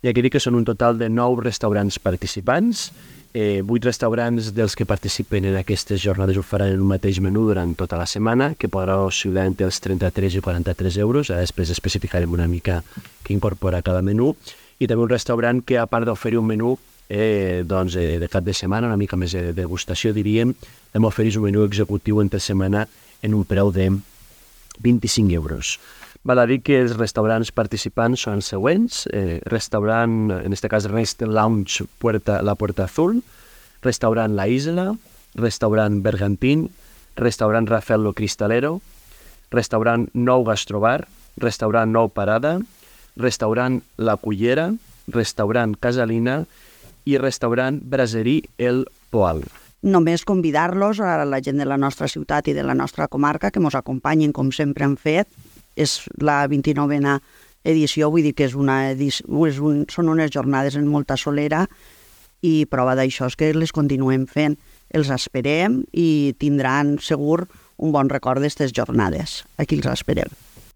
i aquí dic que són un total de 9 restaurants participants. 8 restaurants dels que participen en aquestes jornades ho faran en un mateix menú durant tota la setmana, que podrà oscil·lar entre els 33 i 43 euros. Després especificarem una mica què incorpora cada menú. I també un restaurant que, a part d'oferir un menú de cap de setmana, una mica més de degustació, diríem, hem oferit un menú executiu entre setmana en un preu de 25 euros. Val a dir que els restaurants participants són els següents. Restaurant, en este cas, Rest Lounge La Puerta Azul, restaurant La Isla, restaurant Bergantín, restaurant Rafael Lo Cristalero, restaurant Nou Gastrobar, restaurant Nou Parada, restaurant La Cullera, restaurant Casalina i restaurant Brasserie El Poal. Només convidar-los a la gent de la nostra ciutat i de la nostra comarca que ens acompanyin com sempre han fet. És la 29a edició, vull dir que són unes jornades en molta solera i prova d'això és que les continuem fent. Els esperem i tindran segur un bon record d'aquestes jornades. Aquí els esperem.